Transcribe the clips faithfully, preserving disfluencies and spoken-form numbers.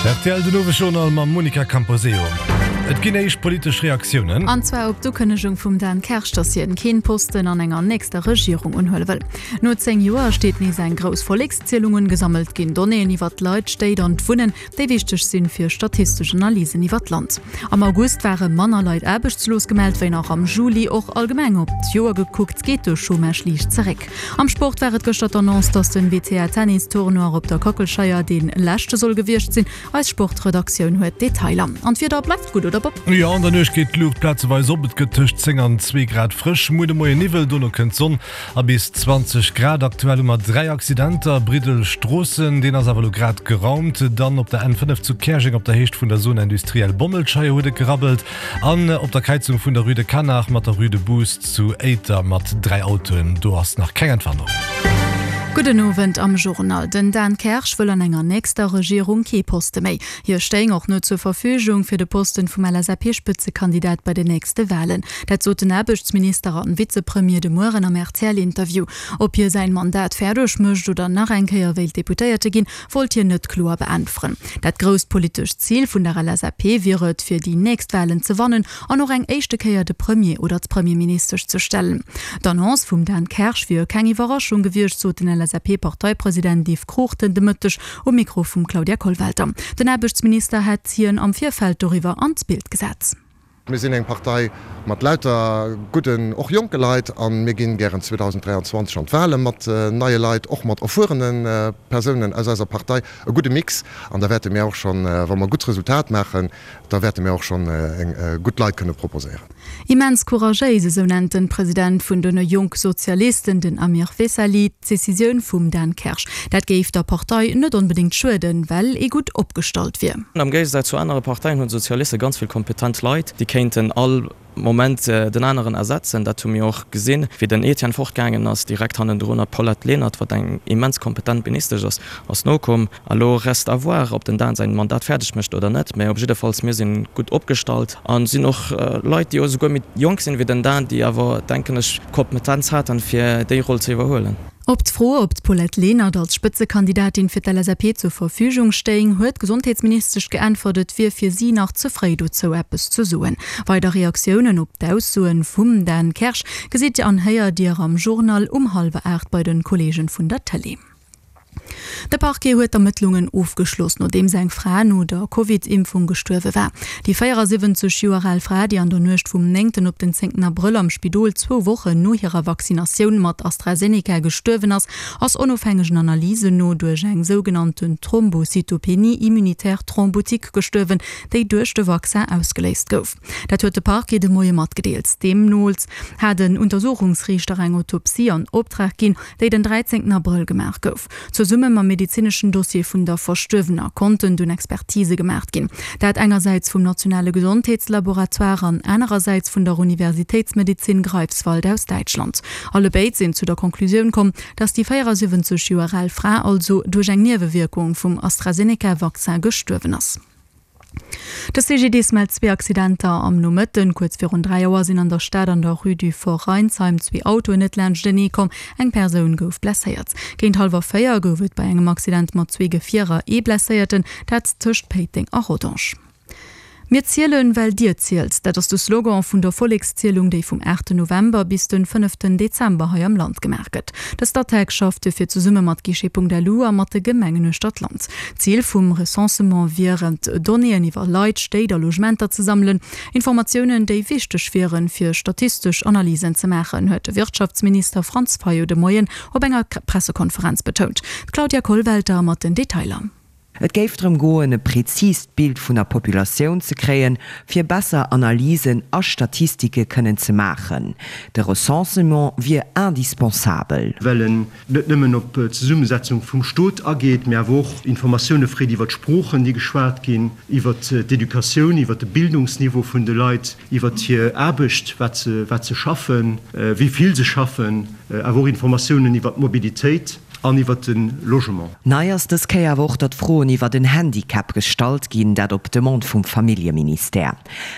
Rtl den Owesjournal mam Monica Camposeo. Et ginn éischt politesch Reaktiounen. An zwar op d'Ukënnegung vum Dan Kersch, dass hien keen Posten an enger nächster Regierung unhuele wëll. No zéng Joer steet nees eng grouss Vollekszielung un. Gesammelt ginn Donnéeën iwwer d'Leit, d'Stéit an d'Wunnen, déi wichteg sinn fir statistesch Analysen iwwer d'Land. Am August ware manner Leit aarbechtslos gemellt wéi nach am Juli. Och allgemeng op d'Joer gekuckt geet de Chômage liicht zeréck. Am Sport war et gëschter d'Annonce, dass den W T A Tennis Tournoi op der Kockelscheier dee leschte soll gewiescht sinn. Eis Sportredaktioun huet Detailer. An d'Wieder bleift gutt, oder Bob? Jo, an der Nuecht geet d'Luucht plazeweis op. Et gëtt tëscht zéng an zwee Grad frësch. Muer de Moien Niwwel, dono kënnt d'Sonn a bis zwanzeg Grad. Aktuell hu mer dräi Accidenter, Briddel Stroossen, deen ass awer elo grad geraumt. Dann op der N fënnef zu Käerjeng op der Héicht vun der Zone industrielle Bommelscheier huet et gerabbelt. An op der Kräizung vun der Rue de Canach mat der Rue de Boost zu Éiter mat dräi Autoen, do ass nach keng Entwarnung. Gudden Owend am Journal. Den Dan Kersch wëll an enger nächster Regierung kee Poste méi. Hie stéing och net zur Verfügung fir de Posten vum L S A P-Spëtzekandidat bei den nächste Walen. Dat sot den Aarbechtsminister an Vizepremier de Mueren am R T L-Interview. Ob hie säin Mandat fäerdeg mécht oder nach eng Kéier wéilt Deputéierte ginn, wollt hien net kloer beäntweren. Dat grousst politescht Zil vun der L S A P wier et, fir déi nächst Walen ze wannen an och eng éischte Kéier de Premier oder d'Premierministesch ze stellen. D'Annonce vum Dan Kersch wier keng Iwwerraschung gewiescht, sot den L S A P-Parteipresident Yves Cruchten de Mëtteg um Mikro vum Claudia Kollwelter. Den Aarbechtsminister hätt hien am Virfeld doriwwer an d'Bild gesat. Mir sinn eng Partei mat lauter gudden, och jonke Leit a mir ginn gären zweedausenddräianzwanzeg an d'Wale mat neie Leit, och mat erfuerene Persounen aus eiser Partei, e gudde Mix. An da wäerte mir och schonn, wa mer gutt Resultat maachen, da wäerte mir och schonn gutt Leit kënne proposéieren. Immens couragéis, esou nennt den President vun den Jongsozialisten, den Amir Vesali, d'Decisioun vum Dan Kersch. Dat géif der Partei net onbedéngt schueden, well ee gutt opgestallt wier. Am Géigesaz zu anere Parteien hunn d'Sozialiste ganz vill kompetent Leit, déi kéinten all Moment den aneren ersetzen. Dat hu mir och gesinn, wéi den Etienne fortgaangen ass, direkt hannendrun d'Paulette Lenert, wat eng immens kompetent Ministesch ass, ass nokomm. Elo reste à voir, ob den Dan säin Mandat fäerdeg mécht oder net, mä op jiddefalls, mir si gutt opgestallt a sinn och Leit, déi esouguer méi jonk sinn wéi den Dan, déi awer, denken ech, d'Kompetenz haten, fir déi Roll ze iwwerhuelen. Op d'Fro, ob d'Paulette Lenert als Spëtzekandidatin fir d'L S A P zur Verfügung stéing, huet d'Gesondheetsministesch geäntwert, et wier fir si nach ze fréi dozou eppes ze soen. Weider Reaktiounen op d'Aussoen vum Dan Kersch gesitt Dir an héiert Dir am Journal um hallwer aacht bei de Kolleegen vun der Tëlee. De Parquet huet d'Ermëttlungen ofgeschloss, nodeems eng Fra no der Covid-Impfung gestuerwe war. Déi véierasiwwenzeg Joer al Fra, déi an der Nuecht vum néngten op den zéngten Abrëll am Spidol zwou Wochen no hirer Vaccinatioun mat AstraZeneca gestuerwen ass, ass onofhängegen Analysen no duerch eng sougenannten Thrombocytopénie immunitaire thrombotique gestuerwen, déi duerch de Vaccin ausgeléist gouf. Dat huet de Parquet de Moie matgedeelt. Deemno hat den Untersuchungsriichter eng Autopsie an Optrag ginn, déi den dräizéngten Abrëll gemaach gouf. Zesumme mam medezineschen Dossier vun der Verstuerwener konnten dunn Expertise gemaach ginn. Dat engersäits vum nationale Gesondheetslaboratoire an anerersäits vun der Universitéitsmedizin Greifswald aus Däitschland. Allebéid sinn zu der Konklusioun komm, dass déi véierasiwwenzeg Joer al Fra also duerch eng Niewewierkung vum AstraZeneca-Vaccin gestuerwen ass. De C G D S mellt zwee Accidenter am Nomëtten. Kuerz virun dräi Auer sinn an der Stad an der Rue du Fort Reinsheim zwee Autoen net laanschtenee komm. Eng Persoun gouf blesséiert. Géint hallwer véier gouf et bei engem Accident mat zwee Gefierer ee Blesséierten, dat tëscht Péiteng a Rodange. Mir zielen, well dir zielt. Dat ass de Slogan vun der Vollekszielung, déi vum aachten November bis den fënneften Dezember hei am Land gemaach gëtt. De Statec schafft dofir zesumme mat Guichet.lu a mat de Gemengen uechter d'Land. Zil vum Recensement wier et, Donnéeën iwwer Leit, Stéit a Logementer ze sammelen, Informatiounen, déi wichteg wieren, fir statistesch Analysen ze maachen, huet de Wirtschaftsminister Franz Fayot de Moien op enger Pressekonferenz betount. D'Claudia Kollwelter mat den Detailer. Et géif drëm goen, e präzist Bild vun der Populatioun ze kréien, fir besser Analysen a Statistike kënnen ze maachen. De Recensement wier indispensabel. Well en net nëmmen op d'Zesummesetzung vum Stot ageet, mä awer och Informatioune freet iwwer d'Sproochen, déi geschwat ginn, iwwer d'Educatioun, iwwer de Bildungsniveau vun de Leit, iwwer hir Aarbecht, wat se, wat se schaffen, wéi vill se schaffen, awer och Informatiounen iwwer d'Mobilitéit. an iwwert de Logement. Nei ass dës Kéier awer och, datt Froen iwwert en Handicap gestallt ginn, dat op Demande vum Familljeministère.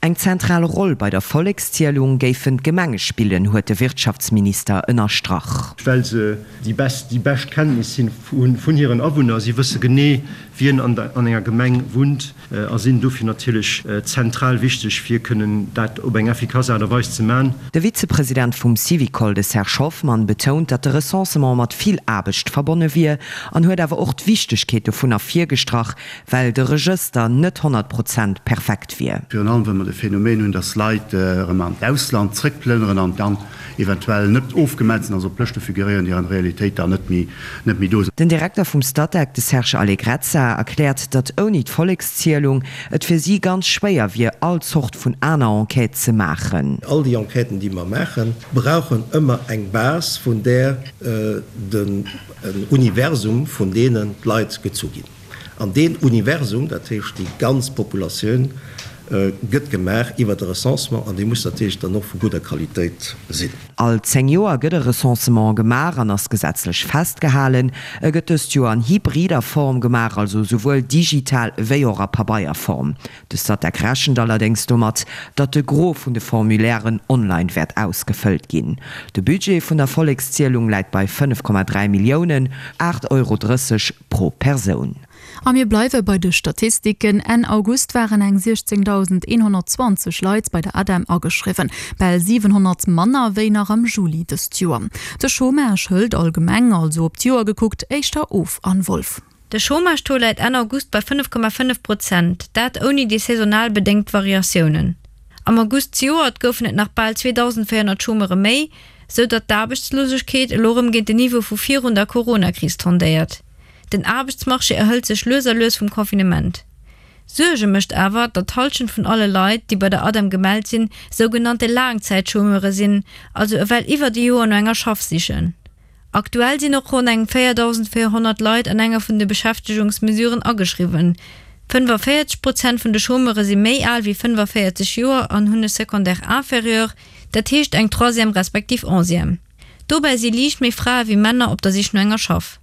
Eng zentral Roll bei der Vollekszielung géifen d'Gemenge spillen, huet de Wirtschaftsminister ënnerstrach. Well se déi bescht Kenntnis hunn vun hiren Awunner. Si wësse genee, wien an enger Gemeng wunnt a sinn dofir natierlech zentral wichteg, fir kënnen dat op eng effikass Aart a Weis ze man. De Vizepresident vum Syvicol, de Serge Hoffmann, betount, datt de Recensement mat vill Aarbecht verbonne wier an huet awer och d'Wichtegkeet dovun ervirgestrach, well de Regëster net honnert Prozent perfekt wier. Virun allem well mer de Phänomen hunn, datt Leit erëm an d'Ausland zrëckplënneren an dann eventuell net ofgemellt sinn, also op Lëschte figuréieren, déi an der Realitéit dann net méi net méi do sinn. Den Direkter vum Statec, de Serge Allegrezza, erkläert, datt ouni d'Vollekszielung et fir si ganz schwéier wier, all Zort vun aner Enquête ze maachen. All déi Enquêten, déi mer maachen, brauchen ëmmer eng Base, vun där den Universum vun deenen Leit gezu ginn. An deen Universum, dat heescht déi ganz Populatioun, gëtt gemaach iwwert e Recensement an dee muss natierlech dann och vu gudder Qualitéit sinn. All zéng Joer gëtt e Recensement gemaach an ass gesetzlech festgehalen. E gëtt dëst Joer an hybrider Form gemaach, also souwuel digital wéi och a Pabeierform. De Statec rechent allerdéngs domat, datt de Gros vun de Formulairen online wäert ausgefëllt ginn. De Budget vun der Vollekszielung läit bei fënnef Komma dräi Milliounen, aacht Euro drësseg pro Persoun. A mir bleiwe bei de Statistiken, Enn August waren eng siechzéngdausendeenhonnertzwanzeg Leit bei der ADEM ageschriwwen, bal siwenhonnert manner wéi nach am Juli dëst Joer. De Chômage hëlt allgemeng, also op d'Joer gekuckt, éischter of. Anne Wolff. De Chômage-Taux läit Enn August bei fënnef Komma fënnef Prozent, dat ouni déi saisonal bedéngt Variatiounen. Am August zejoert goufen et nach bal zweedausendvéierhonnert Chômeure méi, sou datt d'Aarbechtslosegkeet elo rëm géint den Niveau vu virun der Coronakris tendéiert. Den Aarbechtsmarché erhëlt sech lues a lues vum Confinement. Suerge mécht awer, datt d'Hallschent vun alle Leit, déi bei der ADEM gemellt sinn, sougenannte Laangzäitchômeure sinn, also ewell iwwert e Joer no enger Schaff sichen. Aktuell sinn och ronn eng véierdausendvéierhonnert Leit an enger vun de Beschäftegungsmesuren ageschriwwen. fënnefaféierzeg Prozent vun de Chômeure si méi al wéi fënnefaféierzeg Joer an hunn e Secondaire inférieur, dat heescht eng Troisième respektiv Onzième. Dobäi si liicht méi Frae wéi Männer op der Sich no enger Schaff.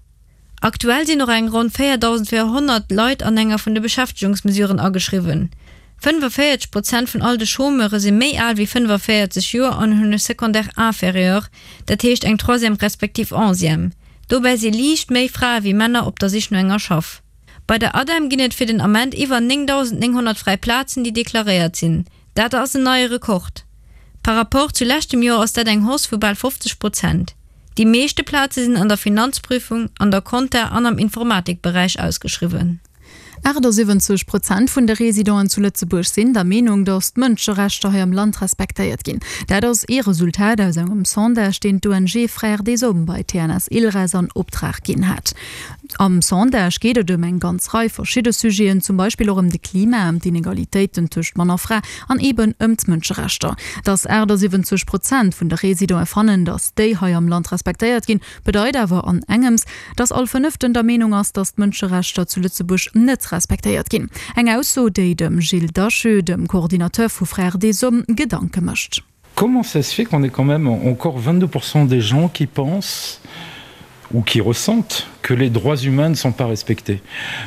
Aktuell sinn och eng ronn véierdausendvéierhonnert Leit an enger vun de Beschäftegungsmesuren ageschriwwen. fënnefaféierzeg Prozent vun all de Chômeure si méi al wéi fënnefaféierzeg Joer an hunn e Secondaire inférieur, dat heescht eng Troisième respektiv Onzième. Dobäi si liicht méi Frae wéi Männer op der Sich no enger Schaff. Bei der ADEM ginn et fir den Ament iwwer néngdausendnénghonnert fräi Plazen, déi deklaréiert sinn. Dat ass en neie Rekord. Par Rapport zu leschtem Joer ass dat eng Hausse vu bal fofzeg Prozent. Déi meeschte Plaze sinn an der Finanzprüfung, an der Compta an am Informatikberäich ausgeschriwwen. achtasiwwenzeg Prozent vun de Residenten zu Lëtzebuerg sinn der Meenung, datt d'Mënscherechter hei am Land respektéiert ginn. Dat ass ee Resultat aus engem Sondage, deen d'ONG Frères des Hommes bei T N S Ilres an Optrag ginn hat. Am Sondage geet et ëm eng ganz Rei verschidde Sujeten, zum Beispill och ëm de Klima, ëm d'Inegalitéiten tëscht Mann a Fra an eeben ëm d'Mënscherechter. Datt achtasiwwenzeg Prozent vun de Residenten fannen, datt déi hei am Land respektéiert ginn, bedeit awer an engems, datt all Fënneften der Meenung ass, datt d'Mënscherechter zu Lëtzebuerg net respektéiert ginn. Eng Ausso, déi dem Gilles Dacheux, dem Coordinateur vu Frères des Hommes, Gedanke mécht. Comment ça se fait qu'on ait quand même encore vingt-deux pour cent des gens qui pensent ou qui ressentent que les droits humains ne sont pas respectés?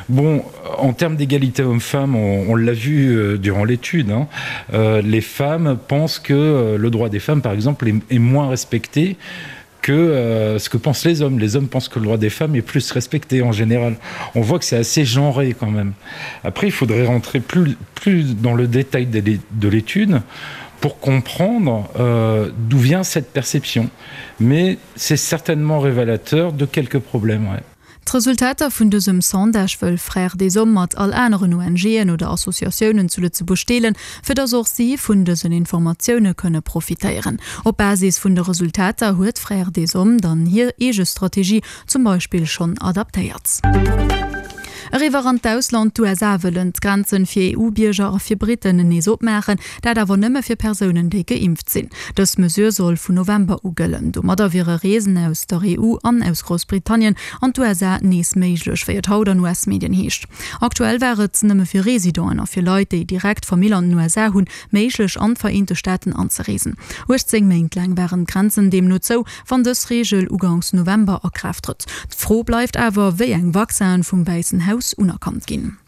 Bon, en termes d'égalité homme-femme, on, on l'a vu euh, durant l'étude, hein, euh, les femmes pensent que euh, le droit des femmes, par exemple, est, est moins respecté que euh, ce que pensent les hommes. Les hommes pensent que le droit des femmes est plus respecté en général. On voit que c'est assez genré quand même. Après, il faudrait rentrer plus, plus dans le détail de l'étude pour comprendre euh, d'où vient cette perception. Mais c'est certainement révélateur de quelques problèmes. Ouais. D'Resultater vun dësem Sondage wëll Frères des Hommes mat all aneren O N G'en oder Associatiounen zu Lëtzebuerg deelen, fir dass och si vun dësen Informatioune kënne profitéieren. Op Basis vun de Resultater huet Frères des Hommes dann hir eege Strategie zum Beispill schonn adaptéiert. Eriwwer an d'Ausland, D'USA wëllen d'Grenzen fir EU-Bierger a fir Britten nees opmaachen, dat awer nëmme fir Persounen, déi geimpft sinn. Dës Mesure soll vun November u gëllen. Domadder wiere Reesen aus der EU an aus Groussbritannien an d'USA nees méiglech, wéi et haut an US-Medien heescht. Aktuell war et nëmme fir Residenten a fir Leit, déi direkt Famill an den USA hunn, méiglech an d'Vereente Staaten anzereesen. uechtzéng Méint laang waren d'Grenzen deemno zou, wann dës Reegel uganks November a Kraaft trëtt. D'Fro bleift awer, wéi eng Vaccinen vum Wäissen Haus unerkannt ginn.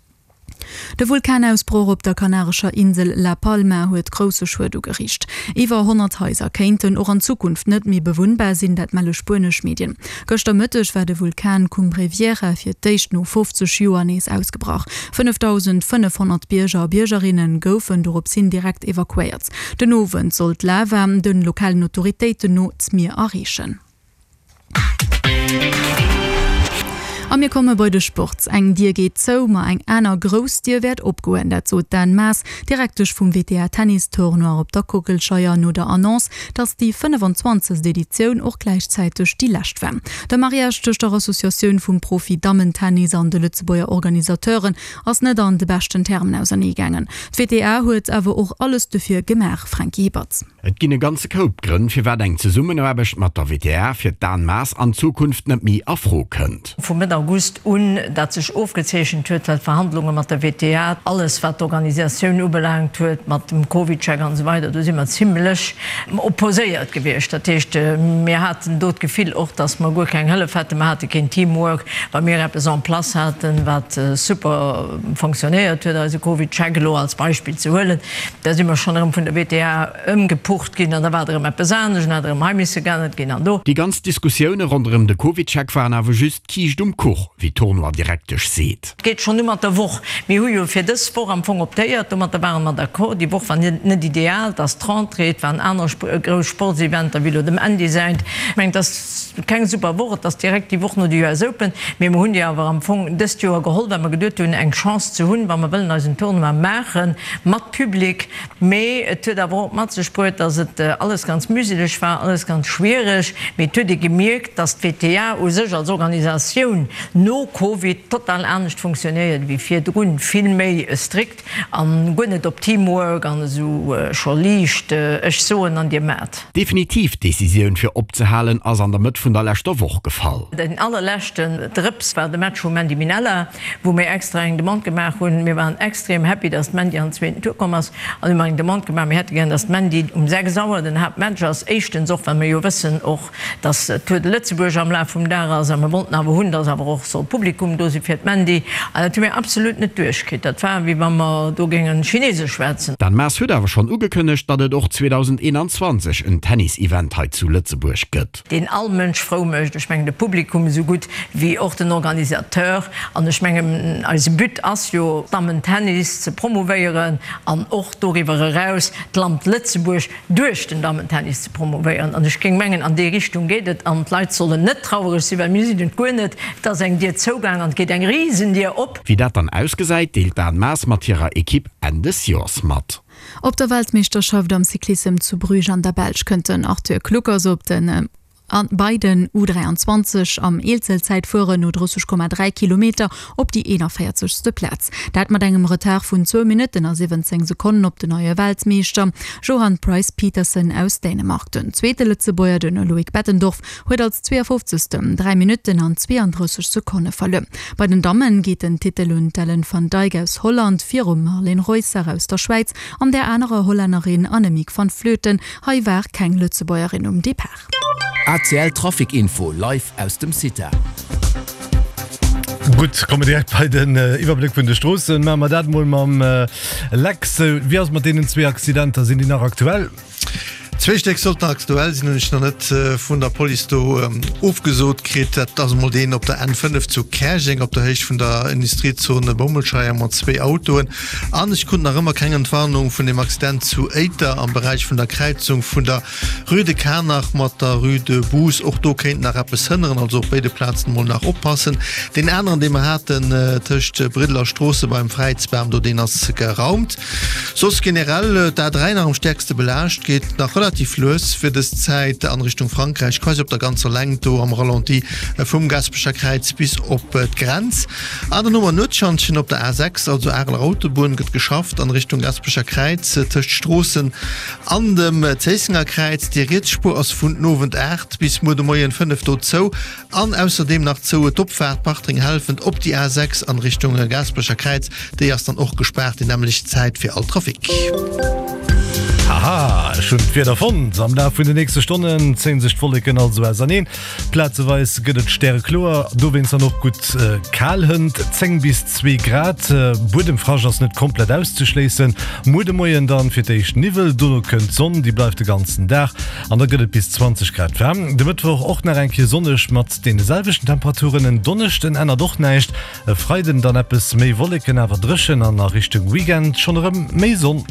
De Vulkanausbroch op der kanarescher Insel La Palma huet grousse Schued ugeriicht. Iwwer honnert Haiser kéinten och an Zukunft net méi bewunnbar sinn, dat melle spuenesch Medien. Gëschter Mëtteg war de Vulkan Cumbre Vieja fir d'éischt no fofzeg Joer nees ausgebrach. fënnefdausendfënnefhonnert Bierger a Biergerinne goufen dorops hin direkt evakuéiert. Den Owend soll d'Lava de lokalen Autoritéiten no d'Mier erreechen. A mir komme bei de Sport. Eng Dier geet zou, ma eng aner grouss Dier wäert opgoen. Dat sot d'Anne Maas, Direktesch vum W T A Tennis Tournoi op der Kockelscheier no der Annonce, datt déi fënnefenzwanzegst Editioun och gläichzäiteg déi lescht war. De Mariage tëscht der Associatioun vum Profi-Dammen-Tennis an de Lëtzebuerger Organisateuren ass net an de beschten Termen auserneegaangen. D'W T A huet awer och alles dofir gemaach, Franky Hippert. Et ginn e ganze Koup Grënn, firwat eng Zesummenaarbecht mat der W T A fir d'Anne Maas an Zukunft net méi a Fro kënnt. Vu Mëtt August un, dat sech ofgezeechent huet, well d'Verhandlunge mat der W T A, alles wat d'Organisatioun ubelaangt huet, mat dem CovidCheck an esou weider, do si mer zimlech opposéiert gewiescht. Dat heescht, mir haten do d'Gefill och, dass mer guer keng Hëllef hätten, mer hate keen Teamwork, wa mir eppes en place haten, wat super fonctionnéiert huet, eise CovidCheck elo als Beispill ze huelen, da si mer schonn erëm vun der W T A ëmgepucht ginn an da war et erëm eppes anescht, an hat erëm hei misse geännert ginn an do. Déi ganz Diskussioune ronderëm de CovidCheck waren awer just d'Kiischt um Kuch, wéi d'Tournoi-Direktesch seet. Et geet schonn u mat der Woch. Mir hu jo fir dës Woch am Fong optéiert, domatter ware mer d'accord. Déi Woch war net ideal, et ass d'Rentrée, et waren aner grouss Sportseventer wéi elo dem Andy säint. Ech mengen, et ass keng super Woch, et ass direkt déi Woch no de U S Open, mee mer hunn déi awer am Fong dëst Joer geholl, well mer geduet hunn, eng Chance ze hunn, wa mer wëllen eisen Tournoi maache mat Public. Mee et huet awer och mat sech bruet, dass et alles ganz mühseleg war, alles ganz schwiereg. Mee et huet ee gemierkt, dass d'W T A u sech als Organisatioun no Covid total anescht funktionéiert wéi virdrun, vill méi strikt an guer net op Teamwork an esou scho liicht ech soen an dir maacht. D'definitiv Decisioun fir opzehalen ass an der Mëtt vun der leschter Woch gefall. Den allerleschten Drëps war de Match vum Mandy Minella, wou mir extra eng Demande gemaach hunn. Mir waren extrem happy, dass d'Mandy an den zweeten Tour komm ass an hu mer eng Demande gemaach, mir hätte gären, dass d'Mandy um sechs Auer den Haaptmatch ass. Éischtens och, well mir jo wëssen och, dass d'Tour de Lëtzebuerg am Laf vum Dag ass a mir wollten awer hunn, dass awer och soll Publikum do si fir d'Mandy. An dat hu mir absolut net duerchkritt. Dat war, wéi wa mer do géingen Chinesesch schwätzen. D'Anne Maas huet awer schonn ugekënnegt, datt et och zweedausendeenanzwanzeg en Tennis-Event hei zu Lëtzebuerg gëtt. Deen all Mënsch frou mécht, ech mengen de Publikum esou gutt wéi och den Organisateur. An ech mengen, eise But ass jo, Dammentennis ze promouvéieren an och doriwwer eraus d'Land Lëtzebuerg duerch den Dammentennis ze promouvéieren. An ech géing mengen, an déi Richtung geet et. An d'Leit sollen net trauereg sinn, well mir sinn et guer net. Et ass eng Dier zougaang an et geet eng Risendier op. Wéi dat dann ausgesäit, deelt d'Anne Maas mat hirer Ekipp Enn des Joers mat. Op der Weltmeeschterschaft am Cyclissem zu Bruges an der Belsch kënnt den Arthur Kluckers op den an bei den U dräianzwanzeg am Eenzelzäitfueren no drësseg Komma dräi Kilometer op déi eenanvéierzegste. Plaz. Dat mat engem Retard vun zwou Minutten a siwwenzéng Sekonnen op den neie Weltmeeschter Johan Price Pedersen aus Dänemark. Den zweete Lëtzebuerger, den Loïc Bettendorf, huet als zweeënfofzegsten dräi Minutten an zweeandrësseg Sekonne verluer. Bei den Dammen geet den Titel un d'Ellen van Dijk aus Holland virum Marlen Reusser aus der Schwäiz an der anerer Hollännerin Annemiek van Vleuten. Hei war keng Lëtzebuergerin um Depart. A C L Trafic Info live aus dem CITA. Gutt, komme direkt bei den Iwwerbléck vun de Stroossen. Maache mer dat mol mam Lex. Wéi ass et mat deenen zwee Accidenter? Sinn déi nach aktuell? Zwee Stéck sollten aktuell sinn, hunn ech nach net vun der Police do ofgesot kritt. Dat ass emol deen op der N fënnef zu Käerjeng op der Héicht vun der Industriezone Bommelscheier mat zwee Autoen. An ech krut nach ëmmer keng Entwarnung vun dem Accident zu Éiter am Beräich vun der Kräizung vun der Rue de Kanach mat der Rue de Bous. Och do kéint nach eppes hënneren, also op béide Plazen emol nach oppassen. Deen aneren, dee mer haten tëscht Briddel a Stroosse beim Fräizbam do, deen ass geraumt. Soss generell d'A dräi nach am stäerkste belaascht, geet nach relativ. Relativ lues fir dës Zäit an Richtung Frankräich, quasi op der ganzer Längt do am Ralenti vum Gasperecher Kräiz bis op d'Grenz. An dann hu mer Nuetschantjen op der A sechs, also Areler Autobunn, gëtt geschafft an Richtung Gasperecher Kräiz tëscht Stroossen an dem Zéissenger Kräiz. Déi riets Spuer ass vun den Owend aacht bis muer de Moien fënnef do zou an ausserdeem nach zou d'Opfaart Bartreng-Helfent op déi A sechs an Richtung Gaasperecher Kräiz. Déi ass dann och gespaart déi nämmlecht Zäit fir all Trafic. Haha, ech hunn d'Wieder fonnt! Am Laf vun de nächste Stonnen zéien sech d'Wolleken also auserneen, plazeweis gëtt et stärekloer, dowéinst dann och gutt kal, hënt zéng bis zwee Grad. Buedemfrascht ass net komplett auszeschléissen. Muer de Moien dann fir d'éischt Niwwel, dono kënnt d'Sonn, déi bleift de ganzen Dag an da gëtt et bis zwanzeg Grad waarm. De Mëttwoch och nach eng Kéier sonneg mat deene selwechten Temperaturen, en Donneschden ännert och näischt, e Freiden dann eppes méi Wolleken, awer dréchen an a Richtung Weekend schonn erëm méi Sonn.